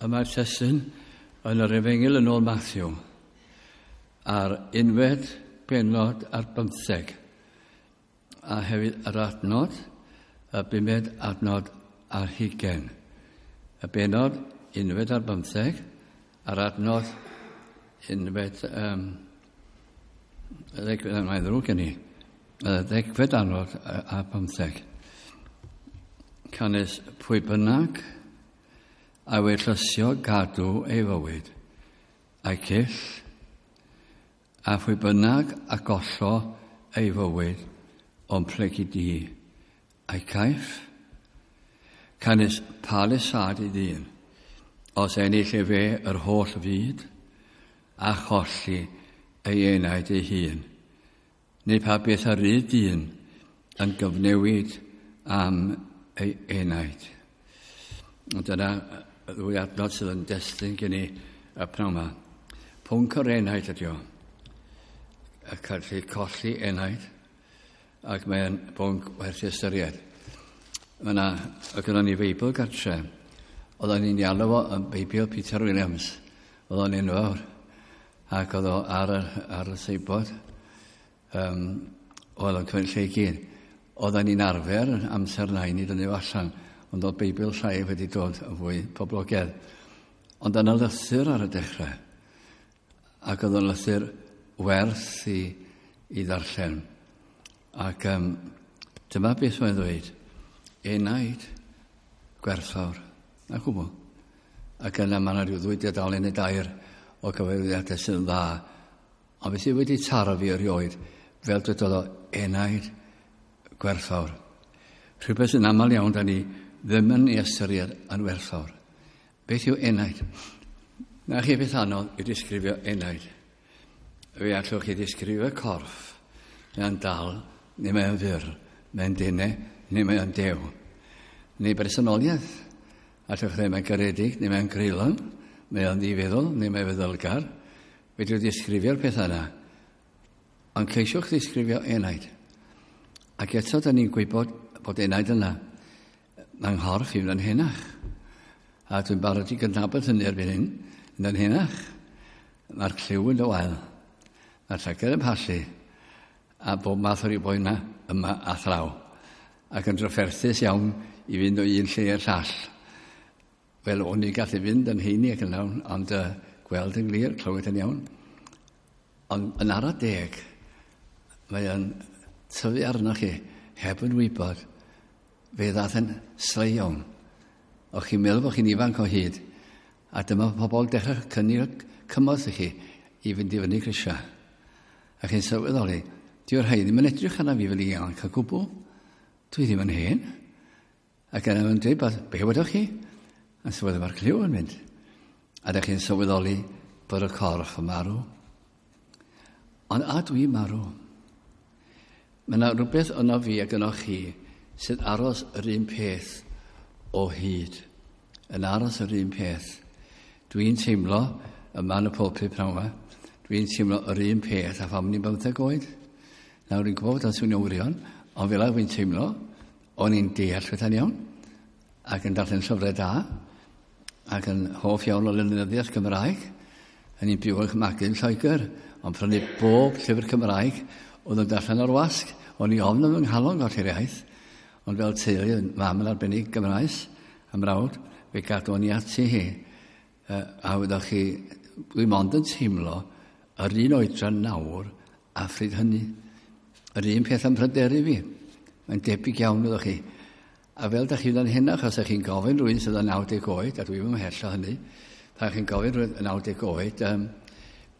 Y mae'r testun yn yr Efengyl yn ôl Matthew a'r unfed bennod ar bymtheg a hefyd yr adnod, y bumed adnod ar hugain. Y bennod unfed ar bymtheg a'r adnod unfed, mae'n ddrwg gen i, y ddegfed adnod a bymtheg. Canys pwy bynnag a wellysio gadw ei fywyd, a'i cyll, a phwy bynnag a gollo ei fywyd o'n plygu di, a'i caiff. Canys pa lesâd i ddyn, os ennill efe yr holl fyd, a cholli ei enaid ei hun, neu pa beth a rydd dyn yn gyfnewid am ei enaid. Ond dyna y ddwy adnod sydd yn destun gen i y pnawn yma. Pwnc yr enaid ydi o. Y gallu colli enaid, ac mae'n bwnc werth ei ystyried. Mae yna, oedd gynnon ni Feibl gartre, oedden ni'n ei alw fo yn Beibl Peter Williams. Oedd o'n enfawr, ac oedd o ar y, ar y seibod. Oedd o'n cymryd lle i gyd. Oedden ni'n arfer amser nain i dynnu fo allan, ond oedd Beibl llai wedi dod yn fwy poblogaidd. Ond yna lythyr ar y dechrau, ac oedd o'n lythyr werth i ddarllen. Ac dyma beth mae'n ddweud, enaid gwerthfawr, na gwbl. Ac yna mae yna rhyw ddwy dudalen neu dair o gyfeiriadau sydd yn dda. Ond beth sydd wedi taro fi erioed, fel dwedodd o, enaid gwerthfawr. Rhywbeth sy'n aml iawn da ni ddim yn ei ystyried yn werthfawr. Beth yw enaid? Na chi beth anodd i ddisgrifio enaid. Fe allwch chi ddisgrifio corff. Mae'n dal, neu mae'n fyr, mae'n denau, neu mae'n dew. Neu bersonoliaeth. Allwch chi ddweud mae'n garedig, neu mae'n greulon, mae'n ddifeddwl, neu mae'n feddylgar. Fedrwch ddisgrifio'r pethau yna. Ond ceisiwch ddisgrifio enaid. Ac eto, da ni'n gwybod bod enaid yna. Mae'n nghorff i fynd yn henach. A dwi'n barod i gydnabod hynny erbyn hyn, mynd yn henach. Mae'r clyw yn wael. Mae'r llygad yn pallu. A bob math o ryw boena yma a thraw. Ac yn drafferthus iawn i fynd o un lle i'r llall. Wel, o'n i'n gallu fynd yn heini ac yn lawn, ond gweld yn glir, clywed yn iawn. Ond yn ara deg, mae o'n tyfu arnoch chi, heb yn wybod, fe ddath yn sleion. O'ch chi'n meddwl bod chi'n ifanc o hyd, a dyma pobl dechrau cynnig cymorth i chi i fynd i fyny grisiau. A chi'n sylweddoli, dyw'r rhai ddim yn edrych arna fi fel ifanc o gwbl. Dwi ddim yn hen. Ac yna mae'n dweud, bod, be wedoch chi? A sylweddoli mae'r clyw yn mynd. A ydych chi'n sylweddoli bod y corff yn marw. Ond a dwi'n marw. Mae yna rhywbeth yno fi ac yno chi sydd aros yr un peth o hyd. Yn aros yr un peth. Dwi'n teimlo, yma yn y pulpit pnawn yma, dwi'n teimlo yr un peth a pham ni'n 15 oed. Nawr dwi'n gwybod bod o'n swnio wirion, ond fel dwi'n teimlo, o'n i'n deall pethau'n iawn, ac yn darllen llyfrau da, ac yn hoff iawn o lenyddiaeth Gymraeg. Yn i'n byw yn magu yn Lloegr, ond prynu bob llyfr Cymraeg oedd yn darllen o'r wasg. O'n i ofn yn fy nghalon golli'r iaith, ond fel teulu, mam yn arbennig Gymraes, a mrawd, fe gadwon ni ati hi. A wyddoch chi, dwi mond yn teimlo yr un oedran nawr a phryd hynny. Yr un peth am pryderu fi. Mae'n debyg iawn, wyddoch chi. A fel da chi'n yn hynach, os ydych chi'n gofyn rhywun sydd yn 90 oed, a dwi'n ymhell o hynny, pan chi'n gofyn rhywun yn 90 oed,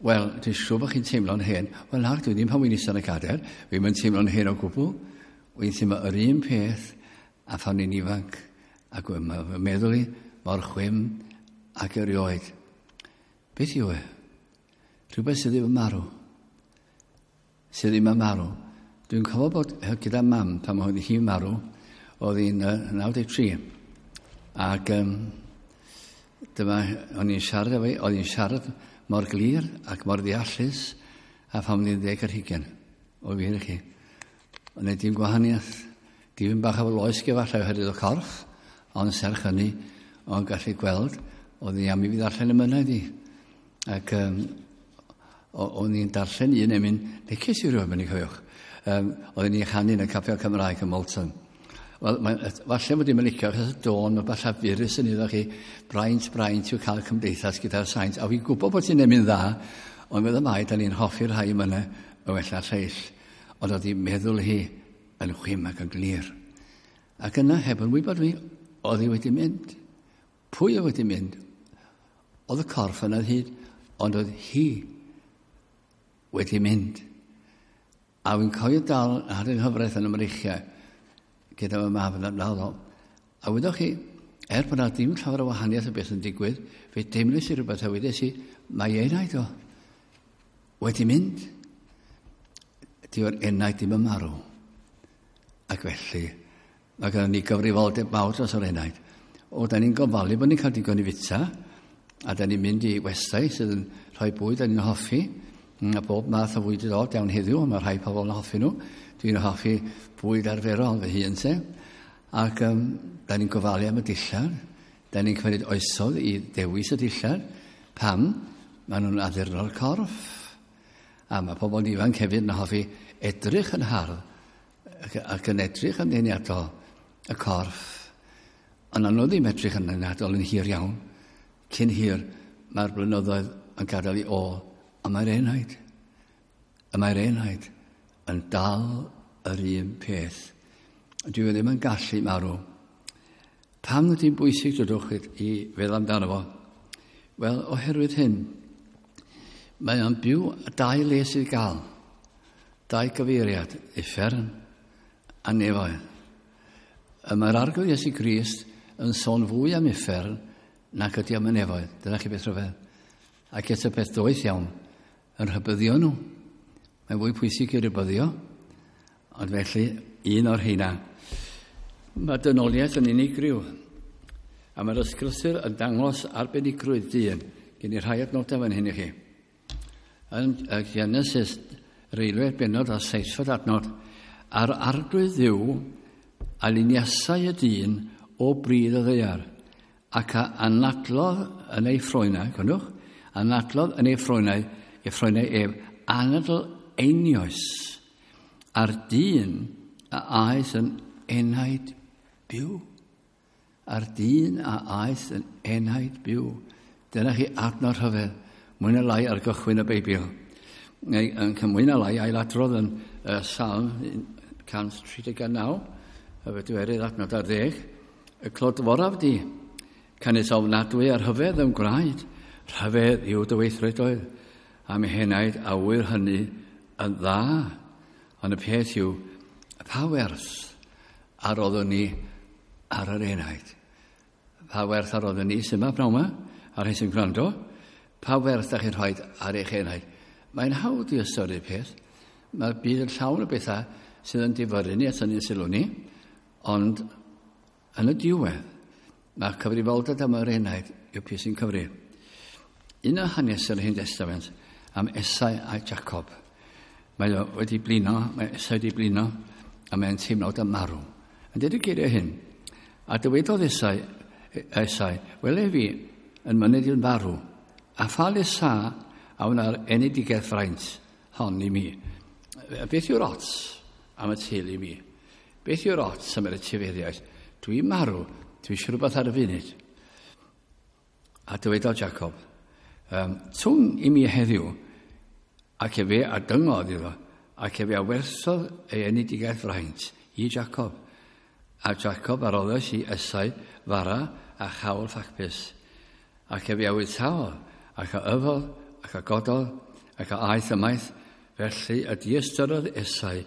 wel, dwi'n siŵr bod chi'n teimlo'n hen. Wel, na, dwi ddim pan wy'n eistedd yn y cadair, dwi'n mynd teimlo'n hen o gwbl. Wy'n teimlo yr un peth a phan ni'n ifanc, ac mae fy meddwl i mor chwim ac erioed. Beth yw e? Rhywbeth sydd ddim yn marw. Sydd ddim yn marw. Dwi'n cofio bod gyda mam pan oedd hi'n marw, oedd hi'n 93. Ac dyma, o'n i'n siarad efo hi, oedd hi'n siarad mor glir ac mor ddeallus a pham o'n i'n 20. O wir i chi. Ond neu dim gwahaniaeth. Dim bach o loesg efallai oherwydd y corff, ond serch hynny, o'n gallu gweld Oedd hi am i fi ddarllen emynau i. Ac o'n i'n darllen un emyn, neges i rhywun, mynd i cofiwch. Oedden ni'n chanu yn y Capel Cymraeg ym Molton. Wel, falle bod i'n licio, achos y dôn, mae falle llafurus yn iddo chi, braint, braint yw cael cymdeithas gyda'r saint. A fi'n gwybod bod ti'n emyn dda, ond meddwl mai, da ni'n hoffi'r rhai yma y wella'r lleill. Ond oedd hi'n meddwl hi yn chwim ac yn glir. Ac yna, heb yn wybod fi, oedd hi wedi mynd. Pwy oedd wedi mynd? Oedd y corff yna hyd, ond oedd hi wedi mynd. A fi'n cofio dal ar yng nghyfraith yn y mreichiau gyda fy mab yn ymladd. A wyddoch chi, er bod na ddim llawer o wahaniaeth o beth yn digwydd, fe deimlais i rhywbeth a wedes i, mae enaid o wedi mynd. Dyw'r enaid ddim yn marw. Ac felly, mae gennym ni gyfrifoldeb mawr dros yr enaid. O, da ni'n gofalu bod ni'n cael digon i fita, a da ni'n mynd i westai sydd yn rhoi bwyd da ni'n hoffi, a bob math o fwyd i ddod iawn heddiw, mae rhai pobl yn hoffi nhw. Dwi'n hoffi bwyd arferol fy hun se. Ac da ni'n gofalu am y dillad. Da ni'n cymryd oesodd i ddewis y dillad. Pam? Maen nhw'n addurno'r corff. A mae pobl ifanc hefyd yn hoffi edrych yn hardd ac yn edrych yn ddeniadol y corff. Ond anodd ddim edrych yn ddeniadol yn hir iawn. Cyn hir, mae'r blynyddoedd yn gadael i ôl, a mae'r enaid. A mae'r enaid yn dal yr un peth. Dwi ddim yn gallu marw. Pam ydy'n bwysig dodwch i feddwl amdano fo? Wel, oherwydd hyn, mae o'n byw dau le sydd gael. Dau gyfeiriad, uffern a nefoedd. A mae'r Arglwydd Iesu Grist yn sôn fwy am uffern nac ydy am y nefoedd. Dyna chi beth rhyfedd. Ac eto peth doeth iawn, yn rhybuddio nhw. Mae'n fwy pwysig i rhybuddio, ond felly un o'r heina. Mae dynoliaeth yn unigryw, a mae'r ysgrythur yn dangos arbenigrwydd dyn. Gen i rhai adnodau fan hyn i chi. Yn Genesis, reilwedd benod a seithfed adnod, a'r Arglwydd Dduw a luniasau y dyn o bryd y ddaear, ac a anadlodd yn ei ffroenau, gwrandwch, anadlodd yn ei ffroenau, ei ffroenau ef, anadl einioes, a'r dyn a aeth yn enaid byw. A'r dyn a aeth yn enaid byw. Dyna chi adnod rhyfedd, mwy na lai ar gychwyn y Beibl. Yn mwy na lai ailadrodd yn Salm 139, y bedwerydd adnod ar 10, y clodforaf di, canys ofnadwy ar rhyfedd yn gwraid, rhyfedd yw dy weithredoedd, a mi henaid awyr hynny yn dda. Ond y peth yw, pa werth a roeddwn ni ar yr enaid? Pa werth a roeddwn ni sy'n yma pnawn yma, a'r rhai sy'n gwrando? Pa werth da chi'n rhoi ar eich enaid? Mae'n hawdd i ystyried peth. Mae'r byd yn llawn o bethau sydd yn difyrru ni a tynnu sylw ni, ond yn y diwedd, mae'r cyfrifoldeb am yr enaid yw peth sy'n cyfri. Un o hanes yr Hen Testament am Esau a Jacob. Mae o wedi blino, mae Esau wedi blino, a mae'n teimlo am marw. Yn dweud y geiriau hyn, a dywedodd Esau, wele fi yn myned i'n farw, a pha le sa a wna'r enedigaeth fraint hon i mi. Beth yw'r ots am y teulu i mi? Beth yw'r ots am yr etifeddiaeth? Dwi'n marw, dwi eisiau rhywbeth ar y funud. A dywedodd Jacob, twng i mi heddiw, ac efe a dyngodd iddo, ac efe a werthodd ei enedigaeth fraint i Jacob. A Jacob a roddes i Esau fara a chawl ffacbys. Ac efe a wythaodd, ac a yfodd, ac a gododd, ac a aeth ymaith, felly y diystyrodd Esau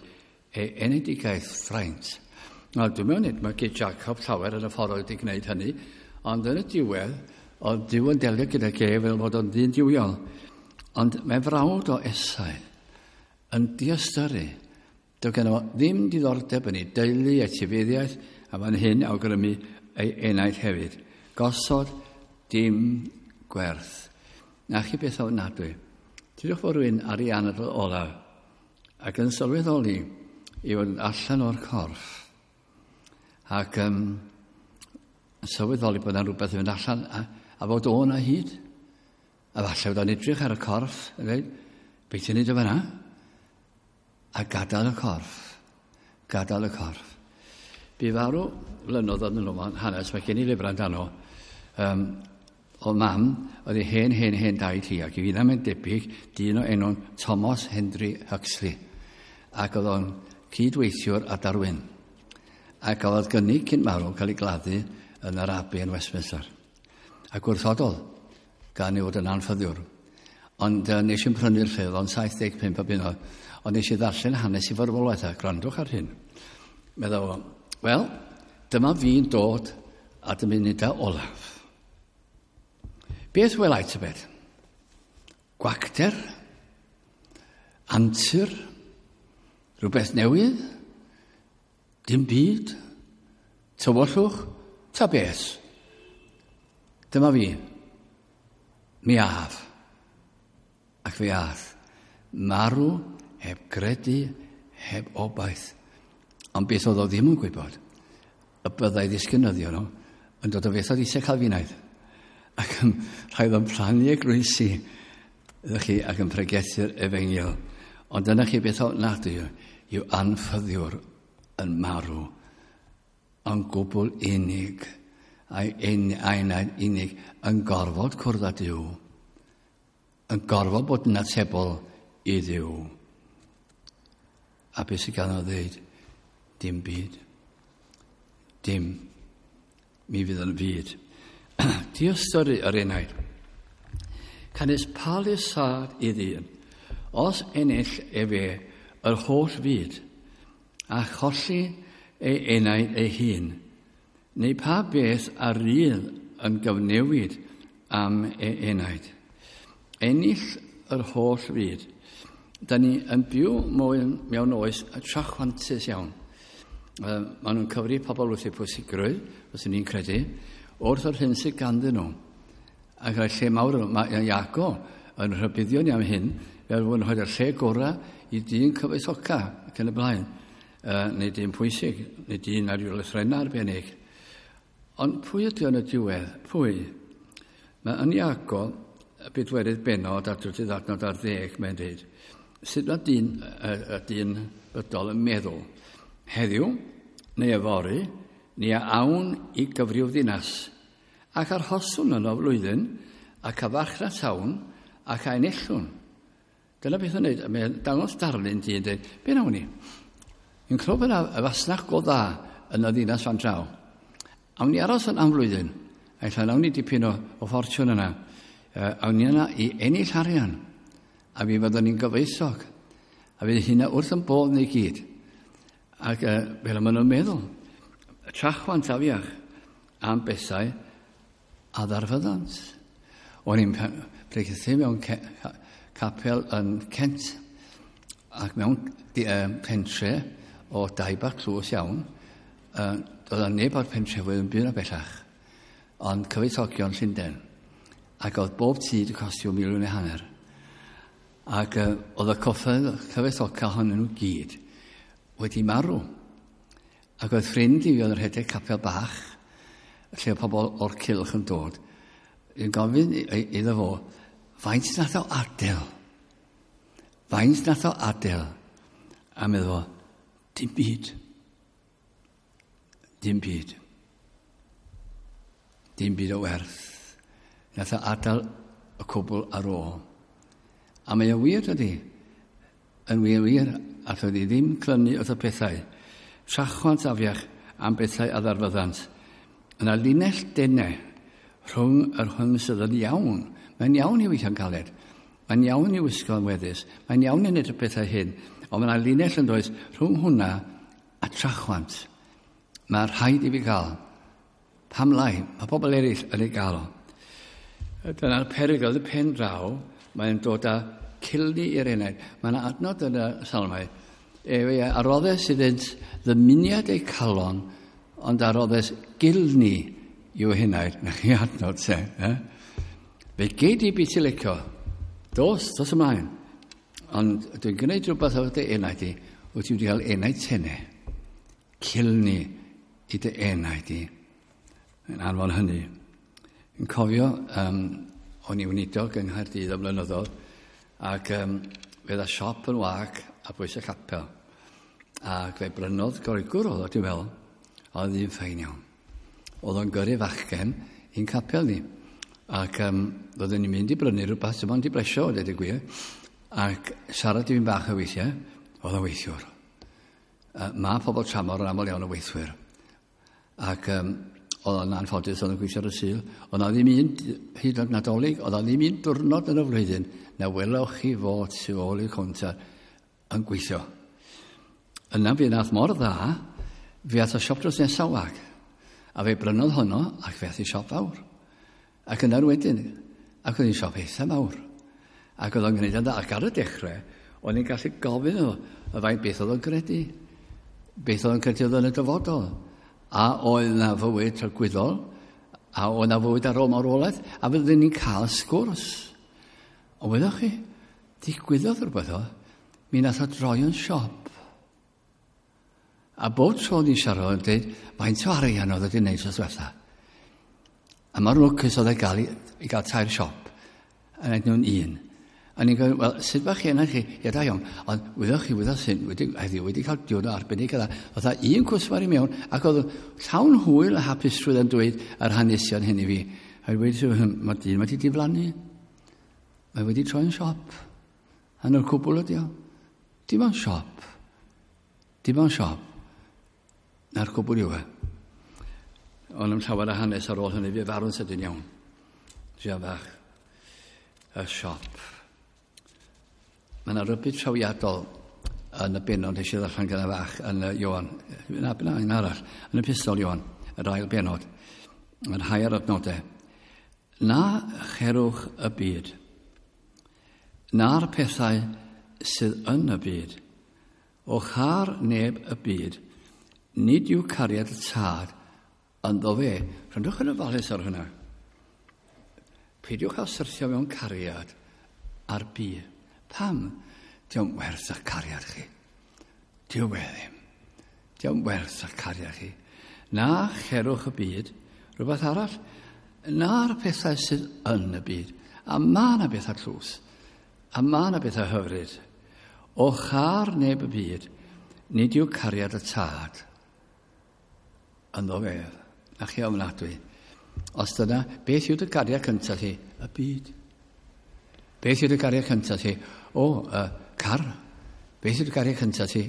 ei enedigaeth fraint. Nawr, dwi'n meddwl nid mae Jacob llawer yn y ffordd oedd wedi gwneud hynny, ond yn y diwedd, oedd Duw yn delio gyda ge fel fod o'n ddyn duwiol. Ond mae frawd o Esau yn diystyru. Doedd gynno fo ddim diddordeb yn ei deulu, etifeddiaeth, a fan hyn awgrymu ei enaid hefyd. Gosod dim gwerth. Na chi beth ofnadwy. Dydwch fod rhywun ar ei anadl olaf ac yn sylweddoli i fod yn allan o'r corff ac yn sylweddoli bod yna rhywbeth yn mynd allan A fod o 'na hyd. A falle fod o'n edrych ar y corff, a dweud, beth ti'n neud o fan'na? A gadael y corff. Gadael y corff. Bu farw flynyddoedd yn ôl, hanes, mae gen i lyfrau amdano, o mam, oedd ei hen, hen, hen daid hi, ac i fi ddim yn debyg, dyn o enw'n Thomas Henry Huxley. Ac oedd o'n cydweithiwr a Darwin. Ac oedd gynnig cyn marw cael ei gladdu yn yr Abbey yn Westminster. A gwrthododd, gan ei fod yn anffyddiwr. Ond nes i'n prynu'r llyfr, o'n 75 o bunnoedd, ond nes i ddarllen hanes i farwolaeth, a gwrandwch ar hyn. Meddwl fo, wel, dyma fi'n dod at y munudau olaf. Beth welai tybed? Gwacter? Antur? Rhywbeth newydd? Dim byd? Tywyllwch? Ta beth? Dyma fi. Mi af. Ac fe ath. Marw heb gredu, heb obaith. Ond beth oedd o ddim yn gwybod, y byddai ddisgynyddion nhw yn dod o Fethodistau Calfinaidd. Ac yn rhaid o'n plannu eglwysi, ydych chi, ac yn pregethu'r efengyl. Ond dyna chi beth ofnadwy yw anffyddiwr yn marw yn gwbl unig, a'i enaid unig yn gorfod cwrdd â Duw, yn gorfod bod yn atebol i Dduw. A beth sydd gan o ddeud? Dim byd. Dim. Mi fydd yn fyd. Diystyru yr enaid. Canys pa lesâd i ddyn, os ennill efe yr holl fyd, a cholli ei enaid ei hun, neu pa beth a rydd yn gyfnewid am ei enaid. Ennill yr holl fyd. Da ni yn byw mewn oes trachwantus iawn. Maen nhw'n cyfri pobl wrth eu pwysigrwydd, os ni'n credu, wrth yr hyn sydd ganddyn nhw. Ac rhaid lle mawr, mae Iago yn rhybuddio ni am hyn, fel fod yn rhoi'r lle gorau i dyn cyfoethoca ac yn y blaen, neu dyn pwysig, neu dyn ar ryw lythrennau arbennig. Ond pwy ydy o'n y diwedd? Pwy? Mae yn Iago, y bedwerydd bennod ar drydydd adnod ar 10, mae'n dweud, sut mae dyn, y dyn bydol yn meddwl? Heddiw, neu yfory, ni a awn i gyfryw ddinas, ac arhoswn yno flwyddyn, ac a farchnatawn, ac a enillwn. Dyna beth yn neud, mae'n dangos darlun dyn dweud, be nawn ni? Yn clywed y fasnach go dda yn y ddinas fan draw. Awn ni aros yn am flwyddyn, a ella nawn ni dipyn o ffortiwn yna. Awn ni yna i ennill arian, a fi fyddwn ni'n gyfoethog, a fydd hynna wrth yn bodd ni gyd. Ac fel maen nhw'n meddwl, trachwant afiach am bethau a ddarfyddant. O'n i'n pregethu mewn capel yn Kent, ac mewn pentre o dai bach tlws iawn, doedd yna neb o'r pentrefwyr yn byw yna bellach, ond cyfoethogion Llundain. Ac oedd bob tŷ wedi costio 1.5 miliwn. Ac oedd y cyfoethoca ohonyn nhw gyd wedi marw. Ac oedd ffrind i fi oedd yn rhedeg capel bach, lle oedd pobl o'r cylch yn dod, yn gofyn iddo fo, faint nath o adael? Faint nath o adael? A meddwl fo, dim byd. Dim byd. Dim byd o werth. Nath o adael y cwbl ar ôl. A mae o wir dydy. Yn wir wir, allwn ni ddim clynu wrth y pethau. Trachwant afiach am bethau a ddarfyddant. Yna linell denau rhwng yr hwn sydd yn iawn. Mae'n iawn i weithio'n galed. Mae'n iawn i wisgo'n weddus. Mae'n iawn i wneud y pethau hyn. Ond mae yna linell yn does rhwng hwnna a trachwant. Mae rhaid i fi gael. Pam lai? Mae pobl eraill yn ei gael o. Dyna'r perygl y pen draw. Mae'n dod â cilni i'r enaid. Mae yna adnod yn y salmau. Efe a roddes iddynt ddymuniad eu calon, ond a roddes gilni i'w henaid. Na chi adnod se. Eh? Fe gei di beth i licio. Dos, dos ymlaen. Ond dwi'n gwneud rhywbeth efo dy enaid di, wyt ti wedi cael enaid tene. Cilni i dy enaid di. Yn anfon hynny. Yn cofio, o'n i weinidog yng Nghaerdydd am blynyddoedd, ac fe dda siop yn wag a bwys y capel. Ac fe brynodd Groegwr oedd o, dwi'n meddwl, oedd un ffein iawn. Oedd o'n gyrru fachgen i'n capel ni. Ac oedden ni'n mynd i brynu rhywbeth sy'n ond i blesio, dweud y gwir. Ac siarad i fi'n bach o weithiau, oedd o'n weithiwr. Mae pobl tramor yn aml iawn o weithwyr. Ac oedd o'n anffodus, oedd o'n gweithio ar y Sul. Oedd na ddim un, hyd yn oed Nadolig, oedd na ddim un diwrnod yn y flwyddyn na welwch chi fod tu ôl i'r cownter yn gweithio. Yna fi nath mor dda, fi ath o siop drws nesaf wag. A fe brynodd honno ac fe ath i siop fawr. Ac yna'r wedyn, ac oedd hi'n siop eitha mawr. Ac oedd o'n gwneud yn dda. Ac ar y dechrau, o'n i'n gallu gofyn iddo y faint beth oedd o'n credu. Beth oedd o'n credu oedd yn y dyfodol. A oedd na fywyd tragwyddol, a oedd na fywyd ar ôl marwolaeth, a fyddwn ni'n cael sgwrs. Ond wyddoch chi, digwyddodd rhywbeth o, mi nath o droi yn siop. A bob tro o'n i'n siarad o'n dweud, faint o arian oedd wedi gwneud tro diwetha. A mor lwcus oedd e gael i gael tair siop, a wneud nhw'n un. A ni'n gofyn, wel, sut bach chi yna chi? Ie, da iawn. Ond wyddoch chi, wyddoch sy'n, wedi, heddiw wedi cael diwrnod arbennig yna. Oedd un cwsmer i mewn, ac oedd llawn hwyl a hapusrwydd yn dweud yr hanesion hyn i fi. A wedi, mae dyn wedi diflannu. Mae wedi troi'n siop. A nhw'r cwbl ydi o. Dim ond siop. Dim ond siop. Na'r cwbl yw e. Ond am llawer o hanes ar ôl hynny, fi farw'n sydyn iawn. Dria fach. Y siop. Mae yna rybudd trawiadol yn y benod nes i ddarllen gyda fach yn y Ioan. Na, na, un arall. Yn y pistol Ioan, yr ail benod. Mae'n rhai ar adnodau. Na cherwch y byd. Na'r pethau sydd yn y byd. O char neb y byd, nid yw cariad y tad ynddo fe. Rhyndwch yn ofalus ar hynna. Peidiwch â syrthio mewn cariad ar byd. Pam? Dio'm werth eich cariad chi. Dio we ddim. Dio'm werth eich cariad chi. Na cherwch y byd, rhywbeth arall, na'r pethau sydd yn y byd. A mae yna bethau tlws. A mae yna bethau hyfryd. O char neb y byd, nid yw cariad y tad ynddo fe. Na chi ofnadwy. Os dyna, beth yw dy gariad cyntaf ti? Y byd. Beth yw dy gariad cyntaf ti? O, car. Beth yw dy gariad cyntaf ti?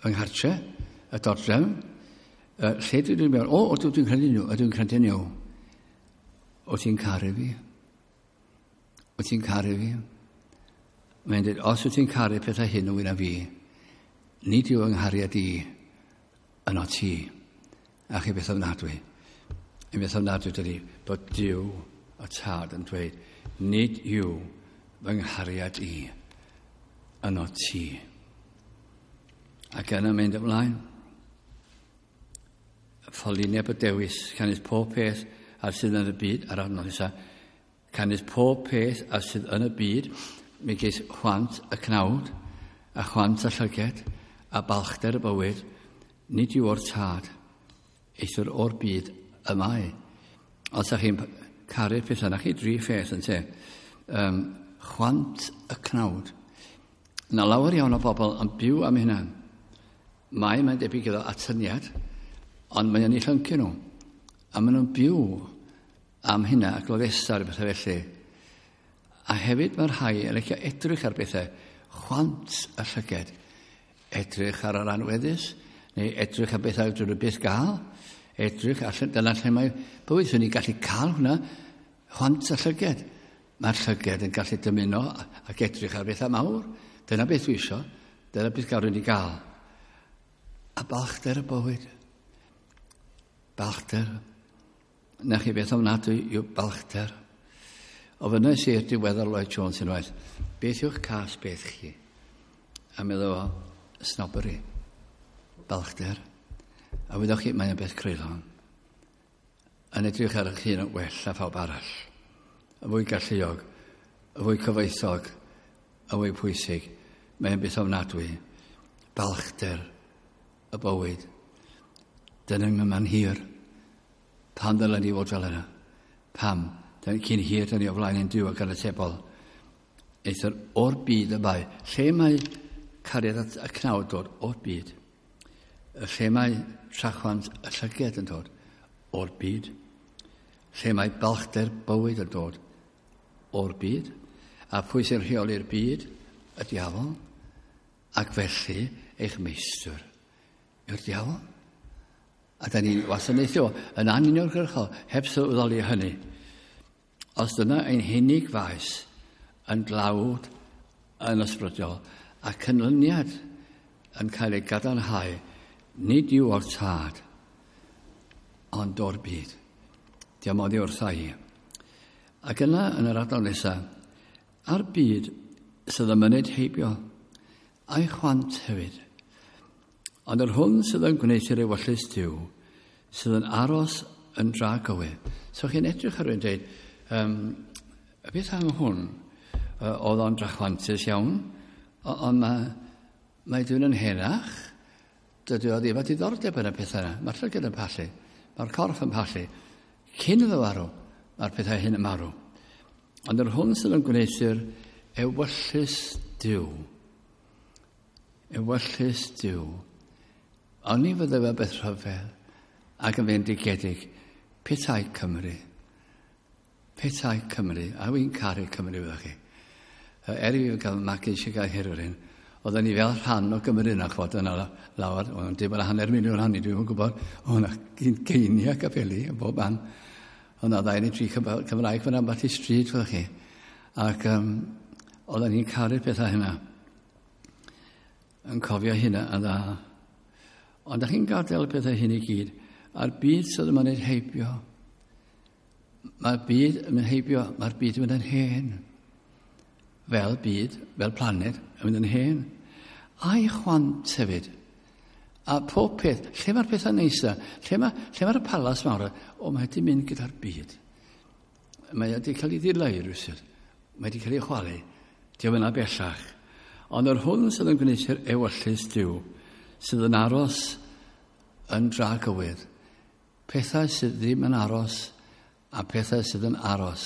Yng nghartre, y dodrefn. Lle dwi'n mewn? O, dwi'n credu nhw, ydw i'n credu nhw. O ti'n caru fi? O ti'n caru fi? Mae'n dweud, os wyt ti'n caru pethau hyn o wyna fi, nid yw yng nghariad i yno ti. A chi beth ofnadwy. Yn beth ofnadwy dydy, bod Duw y Tad yn dweud, nid yw fy nghariad i yno ti. Ac yna mynd ymlaen. Ffolineb y dewis, canys pob peth a sydd yn y byd, ar adnod nesaf, canys pob peth a sydd yn y byd, megis chwant y cnawd, a chwant y llyged, a balchder y bywyd, nid yw o'r tad, eithr o'r byd y mae. Os ydych chi'n caru'r pethau, na chi dri pheth yn te. Chwant y cnawd. Na lawer iawn o bobl yn byw am hynna. Mae'n debyg iddo atyniad, ond mae'n ei llyncu nhw. A maen nhw'n byw am hynna ac gloddesta ar bethau felly. A hefyd mae'r rhai yn licio edrych ar bethau, chwant y llyged, edrych ar yr anweddus, neu edrych ar bethau drwy'r nhw byth gael, edrych allan, dyna lle mae bywyd, swn i'n gallu cael hwnna, chwant y llyged. Mae'r llyged yn gallu dymuno ac edrych ar bethau mawr. Dyna beth dwi isio, dyna beth gawrwn ni gael. A balchder y bywyd. Balchder. Na chi beth ofnadwy yw balchder. Ofynnais i'r diweddar Lloyd Jones unwaith, beth yw'ch cas beth chi? A meddwl fo, snobbery. Balchder. A wyddoch chi, mae'n beth creulon. Yn edrych ar eich hun yn well na phawb arall. Y fwy galluog, y fwy cyfoethog, y fwy pwysig. Mae'n beth ofnadwy. Balchder y bywyd. Dyna yma'n hir. Pam ddylen ni fod fel yna? Pam? Cyn hir, da ni o flaen ein Duw ac yn atebol. Eithr o'r byd y mae. Lle mae cariad at y cnawd dod? O'r byd. Lle mae trachwant y llyged yn dod? O'r byd. Lle mae balchder bywyd yn dod? O'r byd. A pwy sy'n rheoli'r byd? Y diafol. Ac felly eich meistr yw'r diafol. A da ni'n wasanaethio yn anuniongyrchol heb sylweddoli hynny. Os dyna ein hunig faes yn dlawd, yn ysbrydol, a canlyniad yn cael ei gadarnhau, nid yw o'r tad, ond o'r byd. Diolch oddi wrtha i. Ac yna, yn yr adnod nesaf, a'r byd sydd yn myned heibio, a'i chwant hefyd. Ond yr hwn sydd yn gwneud i'r ewyllys Duw, sydd yn aros yn dragywydd. So chi'n edrych ar rhywun dweud, beth am hwn? Oedd o'n drachwantus iawn, ond mae dyn yn henach, dydy o ddim â diddordeb yn y pethau yna. Mae'r llygad yn pallu, mae'r corff yn pallu. Cyn iddo farw, mae'r pethau hyn yn marw. Ond yr hwn sydd yn gwneud i'r ewyllys Duw, ewyllys Duw, oni fydde fe beth rhyfedd ac yn fendigedig, petai Cymru. Petai Cymru, a wy'n caru Cymru fydda chi. Er i fi gael magu eisiau gael Herwyr, oedden ni fel rhan o Gymru yna, chwod, yna lawr, oedd yn dim ond 500,000 hynny, dwi'n gwybod, oedd yna geiniau capeli yn bob man. Oedd yna 2 neu 3 Cymraeg fan ambell i stryd, fydda chi. Ac oedden ni'n caru'r pethau hynna. Yn cofio hynna yn dda. Ond da chi'n gadael y pethau hyn i gyd, a'r byd sydd yma'n ei heibio. Mae'r byd yn mynd heibio, mae'r byd yn mynd yn hen. Fel byd, fel planed, yn mynd yn hen. A'i chwant hefyd. A pob peth, lle mae'r pethau neisa? Lle mae'r palas mawr? O, mae wedi mynd gyda'r byd. Mae wedi cael ei ddileu rhywsut. Mae wedi cael ei chwalu. Dio'm yna bellach. Ond yr hwn sydd yn gwneud i'r ewyllys Duw, sydd yn aros yn dragywydd, pethau sydd ddim yn aros a pethau sydd yn aros.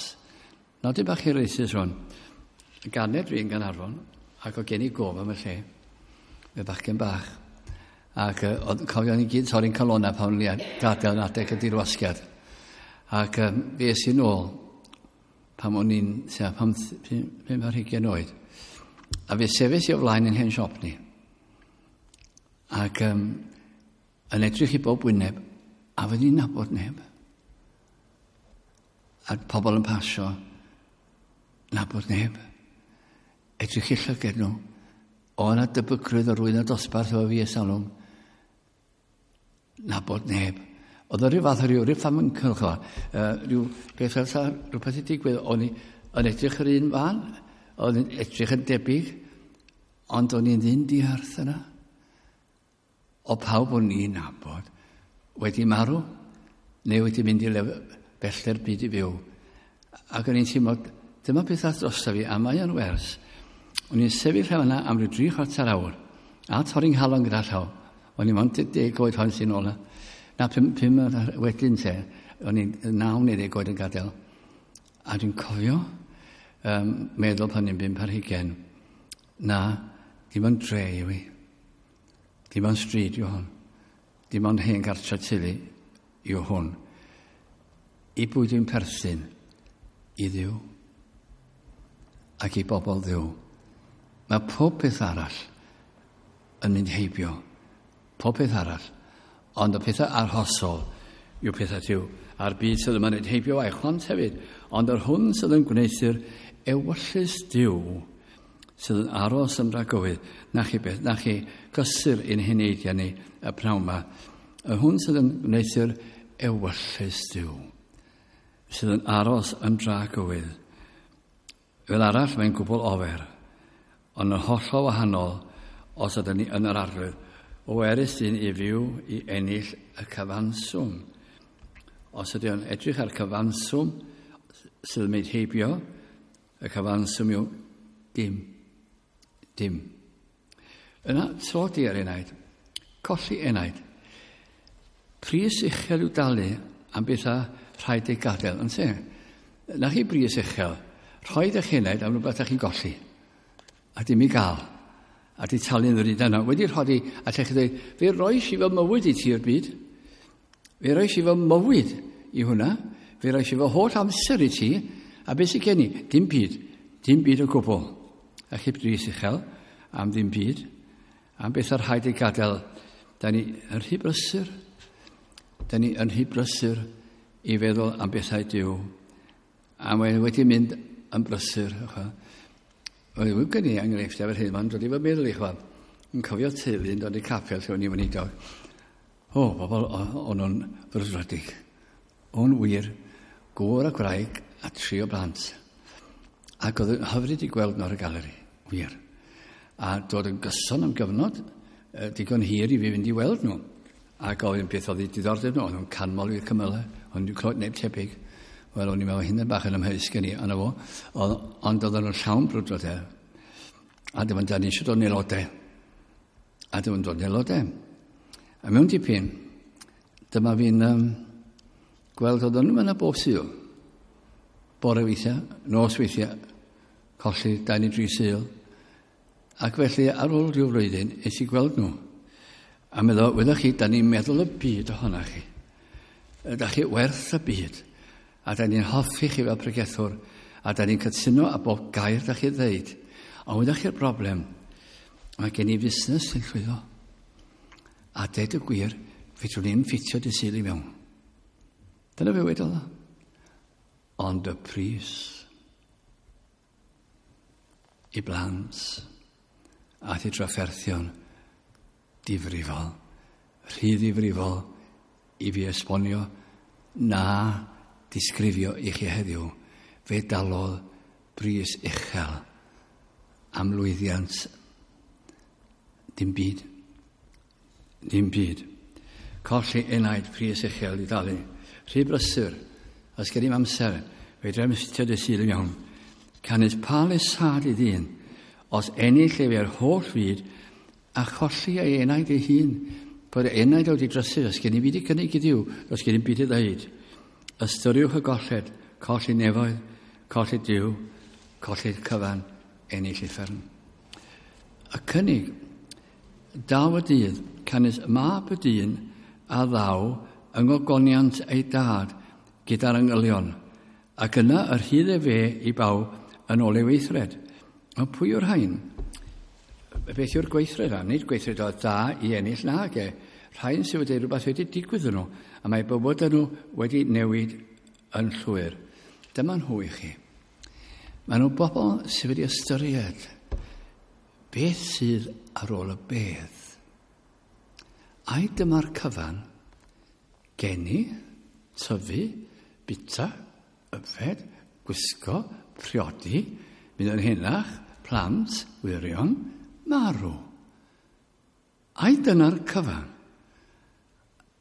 Nodyn bach hiraethus rwan. Ganed fi yn Gaernarfon, ac o gen i gof am y lle, fe bachgen bach. Ac oedd cofio ni gyd torri'n calonnau pan o'n i gadael yn adeg y dirwasgiad. Ac fe es i nôl pan o'n i'n tua 25 ar hugain oed. A fe sefyll i o flaen yn hen siop ni. Ac yn edrych i bob wyneb, a fy ni'n nabod neb. A pobl yn pasio, nabod neb. Edrych i llyged nhw. O yna debygrwydd o rwy'n y dosbarth o fi ers talwm. Nabod neb. Oedd o ryw fath o ryw ffamyncl, chwa. Rhyw beth fel sa, rhywbeth i digwydd. O'n i yn edrych yr un fan, o'n i'n edrych yn debyg, ond o'n i'n ddyn diarth yna. O pawb o'n i'n nabod wedi marw, neu wedi mynd i bellter byd i fyw. Ac o'n i'n teimlo, dyma beth ath drosto fi, a mae o'n wers. O'n i'n sefyll yna am ryw 3/4 awr, a torri'n nghalon gyda llaw. O'n i'n mond 10 oed pan sy'n ôl. Na, 5 wedyn te, o'n i'n 9 neu 10 oed yn gadael. A dwi'n cofio meddwl pan i'n 25 ar hugain, na, dim ond dre yw i. Dim ond stryd yw hwn. Dim ond hen gartre teulu yw hwn. I bwy dwi'n perthyn? I Dduw. Ac i bobl Dduw. Mae pob peth arall yn mynd heibio. Pob peth arall. Ond y pethau arhosol yw pethau Duw. A'r byd sydd yma'n mynd heibio a'i chwant hefyd. Ond yr hwn sydd yn gwneud ewyllys Duw sydd yn aros yn dragywydd, na chi beth, na chi gysur ein heneidiau ni y pnawn yma. Yr hwn sydd yn gwneud ewyllys Duw sydd yn aros yn dragywydd. Fel arall mae'n gwbl ofer, ond yn hollol wahanol os ydyn ni yn yr Arglwydd. O erys dyn i fyw i ennill y cyfanswm. Os ydy o'n edrych ar cyfanswm sydd yn mynd heibio, y cyfanswm yw dim. Dim. Yna, tlodi ar enaid, colli enaid. Pris uchel i'w dalu am bethau rhaid ei gadael, yn te? Na chi bris uchel. Rhoi eich enaid am rhywbeth ydych chi'n golli. A dim i gael. A di talu'n ddrud yna. Wedi rhoi, a lle chi dweud, fe roes i fy mywyd i ti o'r byd. Fe roes i fy mywyd i hwnna. Fe roes i fy holl amser i ti. A beth sydd gen i? Dim byd. Dim byd o gwbl. A chi bris uchel am ddim byd. Am beth ar rhaid ei gadael. Da ni yn rhy brysur. Da ni yn rhy brysur i feddwl am bethau Duw. A mae wedi mynd yn brysur. Oedd gen i enghreifftiau fel hyn, mae'n dod i fy meddwl i chwa. Yn cofio teulu yn dod i capel lle o'n i'n weinidog. O, bobl o'n nhw'n frwdfrydig. O'n wir, gŵr a gwraig a tri o blant. Ac oedd yn hyfryd i gweld nhw ar y galeri, wir. A dod yn gyson am gyfnod, digon hir i fi fynd i weld nhw. A gofyn beth oedd eu diddordeb nhw, o'n nhw'n canmol i'r cymylau, o'n nhw'n clywed neb tebyg. Wel, o'n i'n meddwl hynny bach yn amheus gen i, ond fo. Ond oedden nhw'n llawn brwdfrydedd. A dyma da ni eisiau dod yn aelodau. A dyma'n dod yn aelodau. A mewn dipyn, dyma fi'n gweld oedden nhw'n yna bob Sul. Bore weithiau, nos weithiau, colli 2 neu 3 Sul. Ac felly, ar ôl rhyw flwyddyn, es i gweld nhw. A meddwl, wyddoch chi, da ni'n meddwl y byd ohonoch chi. Da chi werth y byd. A da ni'n hoffi chi fel pregethwr. A da ni'n cytuno a bob gair da chi ddeud. Ond wyddoch chi'r broblem, mae gen i fusnes sy'n llwyddo. A deud y gwir, fedrwn ni'n ffitio dy Sul i mewn. Dyna fe wedodd o. Ond y pris i blant a i drafferthion difrifol, rhy ddifrifol i fi esbonio na disgrifio i chi heddiw, fe dalodd bris uchel am lwyddiant dim byd. Dim byd. Colli enaid pris uchel i dalu. Rhy brysur, os gen i'm amser, fe drem sitio dy Sul yn iawn. Canys pa lesâd i ddyn, os ennill ef i'r holl fyd, a cholli ei enaid ei hun, bod ei enaid wedi drysu, os gen i byd i gynnig i Dduw, os gen i byd i ddeud. Ystyriwch y golled, colli nefoedd, colli Duw, colli'r cyfan, ennill uffern. Y cynnig, daw y dydd, canys mab y dyn a ddaw yng ngogoniant ei dad gyda'r angylion, ac yna yr hydd e fe i bawb yn ôl ei weithred. Ond pwy yw'r rhain? Beth yw'r gweithred yna? Nid gweithred o dda i ennill nag e. Rhain sydd wedi rhywbeth wedi digwydd nhw, a mae bywydau nhw wedi newid yn llwyr. Dyma nhw i chi. Maen nhw bobl sydd wedi ystyried beth sydd ar ôl y bedd. Ai dyma'r cyfan, geni, tyfu, bita, yfed, gwisgo, priodi, mynd yn henach, plant, wyrion, marw. Ai dyna'r cyfan?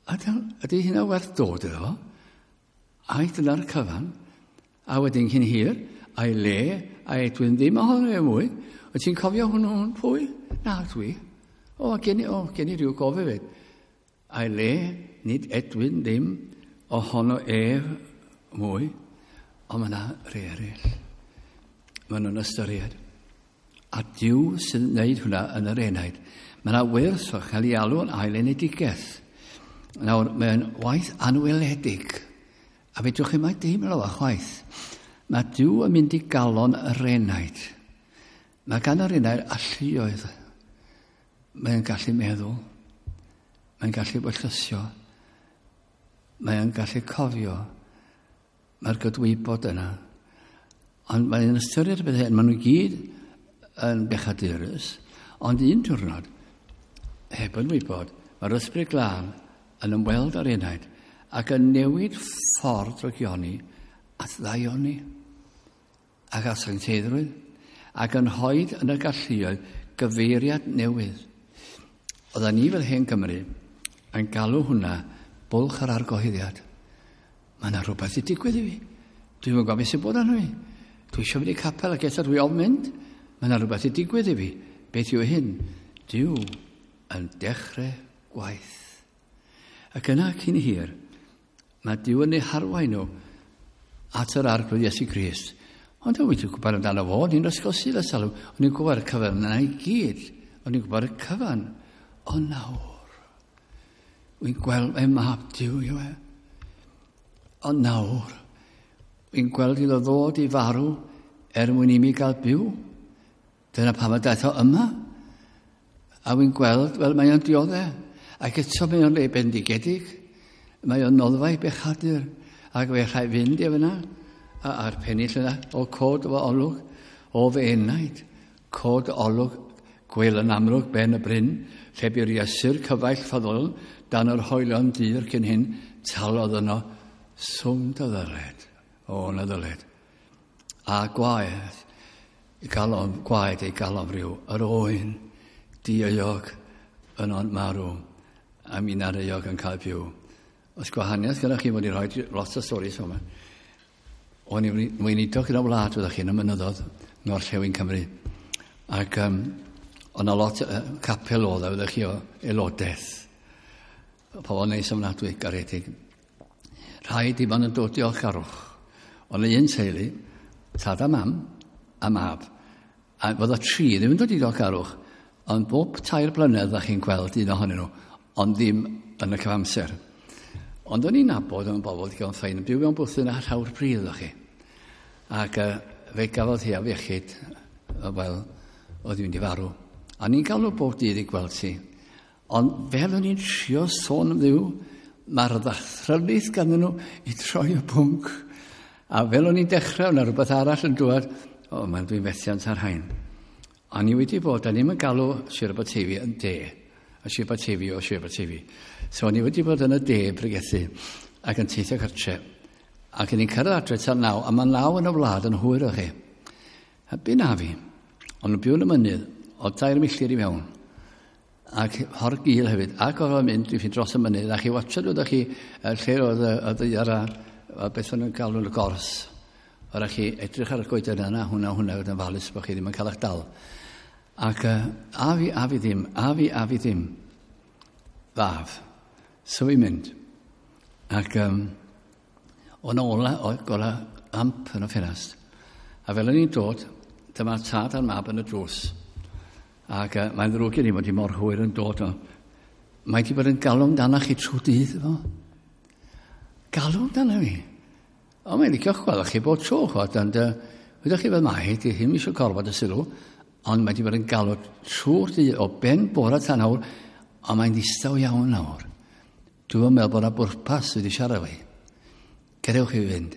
Ydy hynna werth dod iddo fo? Ai dyna'r cyfan? A wedyn cyn hir, a'i le, a Edwin ddim ohono fe mwy. Wyt ti'n cofio hwnnw pwy? Na, dwi. O, gen i rhyw gof hefyd. A'i le, nid Edwin ddim ohono ef mwy, ond mae yna rei eraill. Maen nhw'n ystyried. A Duw sy'n gwneud hwnna yn yr enaid. Mae yna wyrth o chael ei alw yn ail enedigaeth. Nawr, mae'n waith anweledig. A fedrwch chi mai deimlo fo chwaith. Mae Duw yn mynd i galon yr enaid. Mae gan yr enaid alluoedd. Mae'n gallu meddwl. Mae'n gallu wyllysio. Mae'n gallu cofio. Mae'r gydwybod yna. Ond mae'n ystyried y beth hyn. Maen nhw gyd yn bechadurus. Ond un diwrnod, heb yn wybod, mae'r Ysbryd Glân yn ymweld â'r enaid ac yn newid ffordd drygioni at ddaioni ac at sancteiddrwydd ac yn hoed yn y galluoedd gyfeiriad newydd. Oedden ni fel hen Gymru yn galw hwnna bwlch yr argyhoeddiad. Mae yna rhywbeth i digwydd i fi. Dwi'n gwybod beth sy'n bod arno fi. Dwi eisiau mynd i capel ac eto dwi ofn mynd. Mae yna rhywbeth i digwydd i fi. Beth yw hyn? Duw yn dechrau gwaith. Ac yna cyn hir, mae Duw yn eu harwain nhw at yr Arglwydd Iesu Grist. Ond o'n i'n gwybod amdano fo, o'n i'n ysgol Sul ers talwm, o'n i'n gwybod y cyfan yna i gyd, o'n i'n gwybod y cyfan. Ond nawr, wy'n gweld mai mab Duw yw e. Ond nawr, wy'n gweld iddo ddod i farw er mwyn i mi gael byw. Dyna pam y daeth o yma. A wy'n gweld, wel, mae o'n dioddef. Ac eto mae o'n le bendigedig. Mae o'n noddfa i bechadur. Ac fe rhaid fynd i fyna. A'r pennill yna, o cod o olwg, o fy enaid, cod olwg, gwel yn amlwg ben y bryn, lle bu'r Iesu'r cyfaill ffyddol, dan yr hoelion dir cyn hyn, talodd yno swm dy ddyled. O, na ddyled. A gwaed, i galon, gwaed ei galon rhyw, yr oen, dieuog yno'n marw, a mi'n ar euog yn cael byw. Os gwahaniaeth gyda chi, mod i rhoi lot o storis yma. O'n i'n weinidog yn y wlad, fyddech chi, yn y mynyddodd, ngorllewin Cymru. Ac o'n lot capel oedd e, fyddech chi, o aelodaeth. Pobl neis ofnadwy, garedig. Rhai dim ond yn dod diolchgarwch. Ond un teulu, tad a mam, a mab. A fod o tri ddim yn dod i diolchgarwch, ond bob 3 blynedd ddech chi'n gweld un ohonyn nhw, ond ddim yn y cyfamser. Ond o'n i'n nabod yn bobl digon ffain, yn byw mewn bwthyn a llawr pridd o'ch chi. Ac fe gafodd hi afiechyd, wel, oedd hi'n mynd i farw. A ni'n galw bob dydd i gweld hi. Ond fel o'n i'n trio sôn am Dduw, mae'r ddathrylith ganddyn nhw i troi y pwnc. A fel o'n i'n dechrau, o'na rhywbeth arall yn dŵad, o, mae'n dwi'n fethiant ar hain. A ni wedi bod, a ni'n galw Sir Aberteifi yn de, a Sir Aberteifi o Sir Aberteifi. So o'n i wedi bod yn y de pregethu ac yn teithio cartre. Ac o'n i'n cyrraedd adre tan 9, a mae 9 yn y wlad yn hwyr o chi. A bu na fi, ond yn byw yn y mynydd, o 3 milltir i mewn. Ac hor gul hefyd, ac oedd o'n mynd, dwi'n dros y mynydd, a chi watchad oeddech chi lle oedd y ddaear a beth o'n nhw'n galw yn y gors. Oedd chi edrych ar y goeden yna, hwnna, hwnna, oedd yn falus bod chi ddim yn cael eich dal. Ac a fi, a fi ddim, a fi, a fi ddim. Faf. So fi'n mynd. Ac o'n ola, oedd gola amp yn y ffenast. A fel o'n i'n dod, dyma'r tad a'r mab yn y drws. Ac mae'n ddrwg i ni fod i mor hwyr yn dod o. Mae di bod yn galw amdano chi trwy dydd efo. Galw amdano fi. O, mae'n licio chwarae chi bod tro, chwad, ond wyddoch chi fel mae hi, di ddim eisiau gorfod y sylw, ond mae di bod yn galw trwy'r dydd o ben bore tan awr, ond mae'n ddistaw iawn nawr. Dwi'n meddwl bod yna bwrpas wedi siarad fi. Gadewch i fi fynd.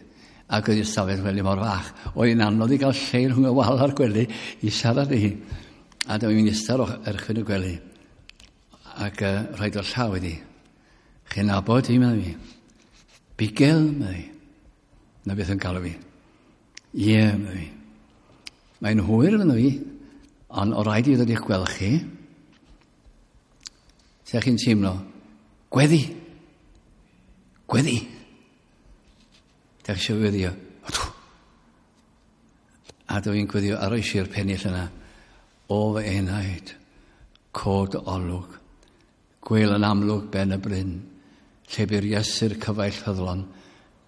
Ac oedd ystafell wely mor fach. Oedd hi'n anodd i gael lle rhwng y wal a'r gwely i siarad i hi. A dyma fi'n eistedd ar erchwyn y gwely. Ac rhaid o'r llaw iddi. Chi'n nabod i, meddwl fi. Bigel, meddwl fi. Na beth yn galw fi. Ie, meddwl fi. Mae'n hwyr, meddwl fi. Ond o rhaid i ddod i'ch gweld chi. Sut chi'n teimlo? Gweddi. Gweddi. Dach chi eisiau gweddio? Odw. A dw i'n gweddio ar oesi'r pennill yna. O fy enaid, cod olwg, gwel yn amlwg ben y bryn, lle bu'r Iesu'r cyfaill ffyddlon,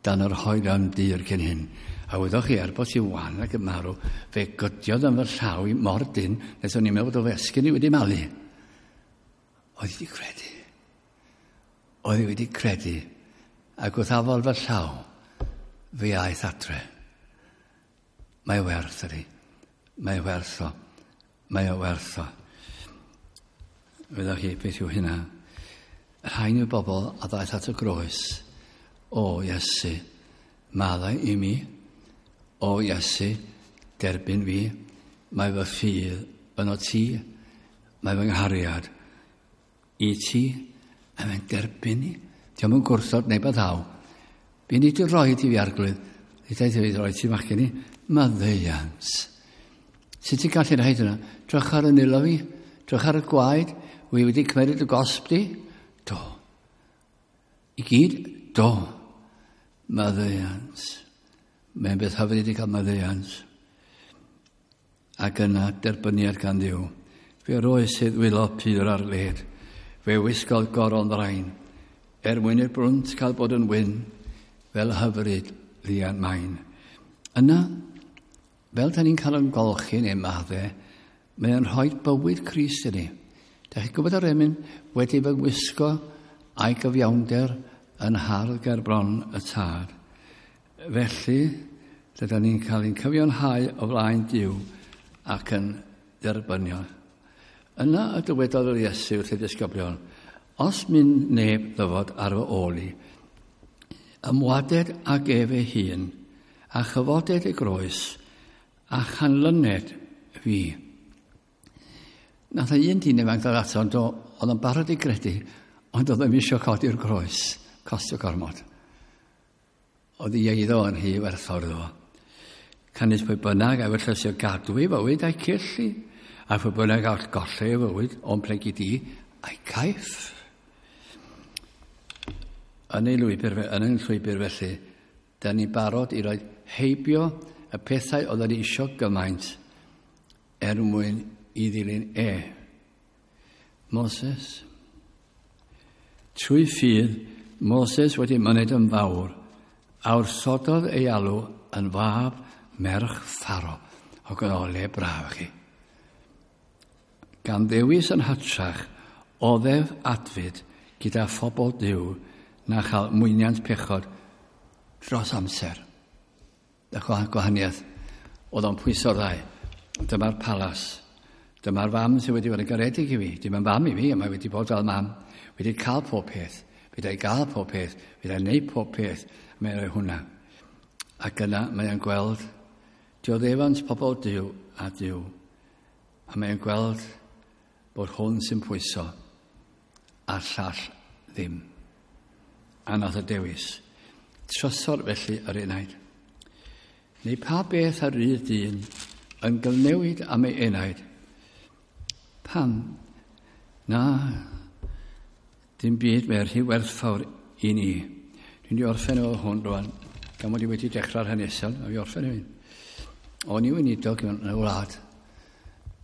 dan yr hoelion dir cyn hyn. A wyddoch chi, er bod ti wan ac yn marw, fe gydiodd yn fy llaw i mor dyn, nes o'n i'n meddwl bod o fesgyn i wedi malu. Oedd wedi credu. Oedd wedi credu. Ac wrth afal fy llaw, fe aeth adre. Mae werth ydi. Mae werth o. Mae o werth o. Wyddoch chi beth yw hynna? Rhain yw bobl a ddaeth at y groes. O Iesu, maddau i mi. O Iesu, derbyn fi. Mae fy ffydd yno ti. Mae fy nghariad i ti. A mae'n derbyn i. Dio'm yn gwrthod neb a ddaw. Be ni di roi i fi Arglwydd? Ni daeth i fi roi ti fachgen i. Maddeuant. Sut ti'n gallu rhaid yna? Drych ar y nilo fi. Drych ar y gwaed. Wy wedi cymeryd y gosb di? Do. I gyd? Do. Maddeuant. Mae'n beth hyfryd i gael maddeuant. Ac yna derbyniad gan Dduw. Fe roes ei ddwylo pur ar led. Fe wisgodd goron ddrain. Er mwyn i'r brwnt cael bod yn wyn, fel hyfryd ddian main. Yna, fel da ni'n cael yn golchi neu madde, mae o'n rhoi bywyd Crist i ni. Da chi'n gwybod yr emyn wedi fy ngwisgo a'i gyfiawnder yn hardd ger bron y tad. Felly, dyda ni'n cael ein cyfiawnhau o flaen Duw ac yn dderbyniol. Yna y dywedodd yr Iesu wrth ei ddisgyblion, os mynd neb ddyfod ar fy ôl i, ymwaded ag ef ei hun, a chyfoded y groes, a chanlyned fi. Nath un dyn ifanc ddod ato, ond oedd o'n barod i gredu, ond oedd ddim eisiau codi'r groes, costio gormod. Oedd ei eiddo yn rhy werthfawr iddo fo. Canys pwy bynnag a wyllysio gadw ei fywyd a'i cyllu, a pwy bynnag all golli ei fywyd o'n plegid i a'i caiff. Yn ei lwybr, yn ein llwybr felly, da ni barod i roi heibio y pethau oedden ni isio gymaint er mwyn i ddilyn e. Moses. Trwy ffydd, Moses wedi myned yn fawr, a wrthododd ei alw yn fab merch Pharo. Ac oedd o le braf chi. Gan ddewis yn hytrach, oddef adfyd gyda phobl Duw na chael mwyniant pechod dros amser. Y gwahaniaeth oedd o'n pwyso'r ddau. Dyma'r palas. Dyma'r fam sydd wedi bod yn garedig i fi. Dim yn fam i fi, a mae wedi bod fel mam. Wedi cael pob peth. Wedi gael pob peth. Wedi gwneud pob peth. A mae'n rhoi hwnna. Ac yna mae'n gweld dioddefant pobl Duw a Duw. A mae'n gweld bod hwn sy'n pwyso a'r llall ddim. A nath y dewis. Trysor felly yr enaid. Neu pa beth ar rydd dyn yn gyfnewid am ei enaid? Pam? Na, dim byd mae'r rhy werthfawr i ni. Dwi'n di orffen efo hwn rwan, gan mod i wedi dechrau'r hanesion, a fi orffen efo hyn. O'n i weinidog yn y wlad,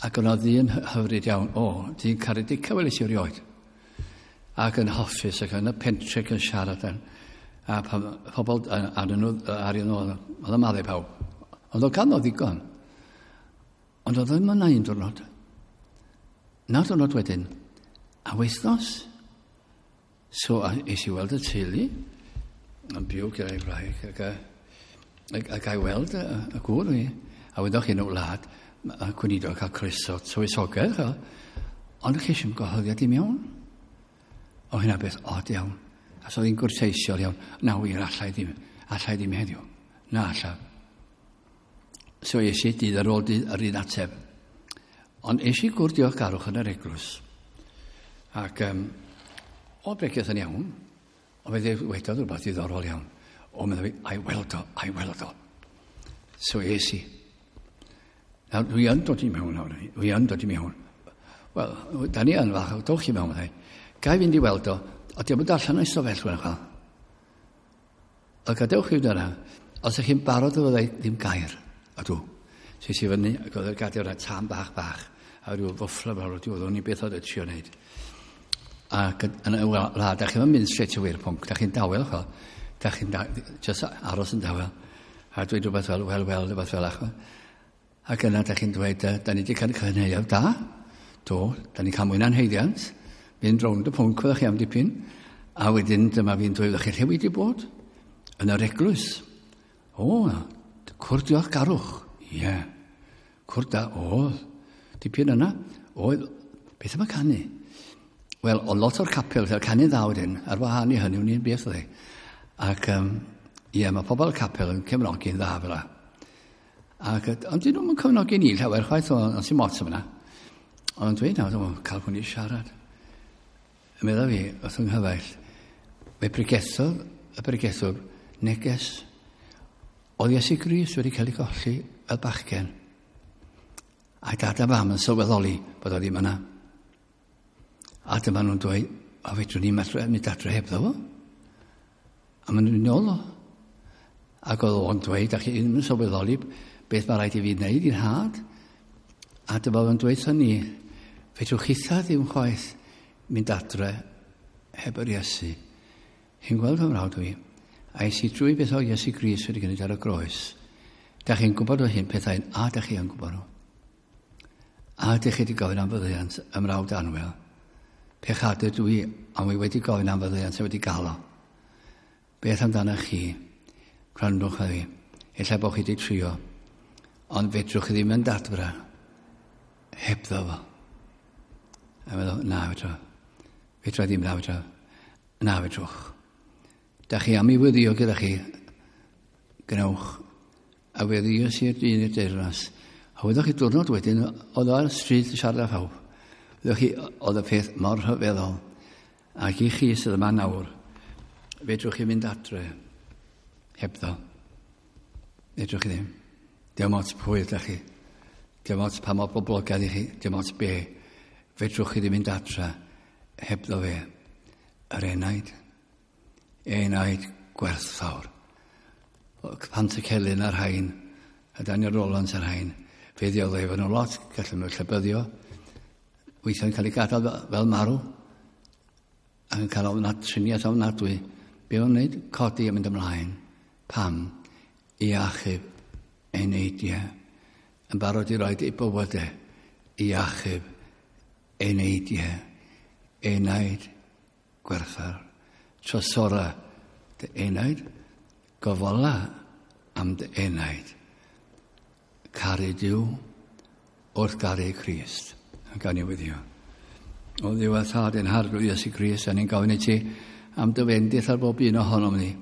ac o'na ddyn hyfryd iawn, o, dyn caredica weles i erioed, ac yn hoffus, ac yn y pentre yn siarad, a pobl arnyn nhw, oedd yn maddau pawb. Ond oedd ganddo ddigon. Ond oedd ddim yna un diwrnod. Na diwrnod wedyn. A wythnos. So, es i weld y teulu, yn byw gyda'i wraig, ac i weld y gŵr fi. A wyddoch chi yn y wlad, y gweinidog cael croeso tywysogaeth, ond chi eisiau gwahoddiad i mewn. O hynna beth od iawn. A so oedd hi'n gwrteisiol iawn. Na wir, allai ddim heddiw. Na allaf. So es i dydd ar ôl dydd yr un ateb. Ond es i gwrdd diolchgarwch yn yr eglwys. Ac o bregeth yn iawn, ond fe dwedodd rhywbeth diddorol iawn. O, meddwl fi, a'i weld o. So es i. Nawr, dwi yn dod i mewn nawr. Dwi yn dod i mewn. Wel, da ni yn fach, dowch i mewn, meddai. Ga i fynd i weld o, a diolch yn darllen o'i stofell, wel, chwel. A gadewch i fynd yna, os ydych chi'n barod o fyddai ddim gair, a dw. So es i fyny, ac oedd yr gadair yna tan bach bach, a rhyw fwffla fel oedd o'n i beth oedd y trio wneud. Ac yn y wlad, da chi'n mynd straight away i'r pwnc, da chi'n dawel, chwel. Da chi'n just aros yn dawel. A dweud rhywbeth fel, wel, rhywbeth fel ach. Ac yna da chi'n dweud, da ni wedi cael cynhaeaf da. Do, da ni'n cael mwy na'n haeddiant. Mynd rownd y pwnc fyddwch chi am dipyn. A wedyn dyma fi'n dweud, chi lle wedi bod? Yn yr eglwys. O, cwrdd diolchgarwch. Ie. Yeah. Cwrdd da, oedd. Dipyn yna. Oedd, beth yma canu? Wel, o lot o'r capel, fel canu dda wedyn, ar wahân i hynny, wni'n beth oedd e. Ac, ie, mae pobl y capel yn cefnogi'n dda fel 'a. Ac, ond dyn nhw'n cefnogi ni llawer chwaith, ond sy'n mot yma. Ond dweud nawr, dwi'n cael hwn i siarad. Meddwl fi, wrth yng nghyfaill, fe pregethodd y pregethwr neges. Oedd Iesu Grist wedi cael ei golli fel bachgen. A dad a fam yn sylweddoli bod o ddim yna. A dyma nhw'n dweud, o fedrwn ni'n mynd adre hebddo fo. A maen nhw'n nôl o. Ac oedd o'n dweud, a chi ddim yn sylweddoli beth mae rhaid i fi wneud i'n had. A dyma fo'n dweud wrthon ni, fedrwch chitha ddim chwaith mynd adre heb yr Iesu. Hi'n gweld fy mrawd fi, A es i drwy beth o Iesu Grist wedi gwneud ar y groes. Da chi'n gwybod o hyn pethau, a da chi yn gwybod nhw. A ydych chi wedi gofyn am fyddeiant ymrawd anwyl. Pechadur dwi, ond wi wedi gofyn am fyddeiant a wedi gael o. Beth amdano chi? Gwrandwch ar fi. Ella bod chi wedi trio, ond fedrwch chi ddim yn dadfra hebddo fo. A meddwl, na, fedra. Fedra ddim, na, fedra. Na, fedrwch. Da chi am i weddio gyda chi, gwnewch. A weddio sy'r dyn i'r deyrnas. A wyddoch chi diwrnod wedyn, oedd o ar y stryd yn siarad â phawb. Wyddoch chi, oedd y peth mor rhyfeddol. Ac i chi sydd yma nawr, fedrwch chi fynd adre hebddo. Fedrwch chi ddim. Dim ots pwy ydych chi. Dim ots pa mor boblogaidd i chi. Dim ots be. Fedrwch chi ddim mynd adre hebddo fe. Yr enaid. Enaid gwerthfawr. Pantycelyn a'r rhain, a Daniel Rowlands a'r rhain, fe ddioddefon nhw lot, gallen nhw llybyddio, weithiau'n cael ei gadael fel marw, ac yn cael ofnad, triniaeth ofnadwy. Be o'n wneud? Codi a mynd ymlaen. Pam? I achub eneidiau. Yn barod i roed ei bywydau i achub eneidiau. Enaid gwerthfawr. Trosora dy enaid, gofala am dy enaid. Caru Duw wrth garu Crist. A gan i weddio. O Dduw a Thad ein Harglwydd Iesu Grist, a ni'n gofyn i ti am dy fendith ar bob un ohonom ni.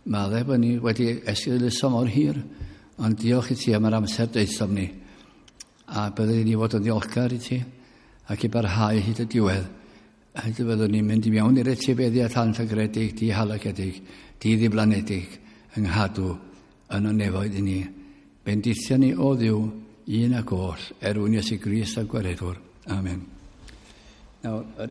Maddau bod ni wedi esgeuluso mor hir, ond diolch i ti am yr amser deuthom ni. A byddwn ni fod yn ddiolchgar i ti ac i barhau hyd y diwedd. Hyd y byddwn ni'n mynd i mewn i'r etifeddiaeth anllygredig, dihalogedig, diddiflanedig, yng nghadw yn y nefoedd i ni. Bendithio ni o Dduw, un ac oll, er mwyn Iesu Grist a Gwaredwr. Amen. Nawr,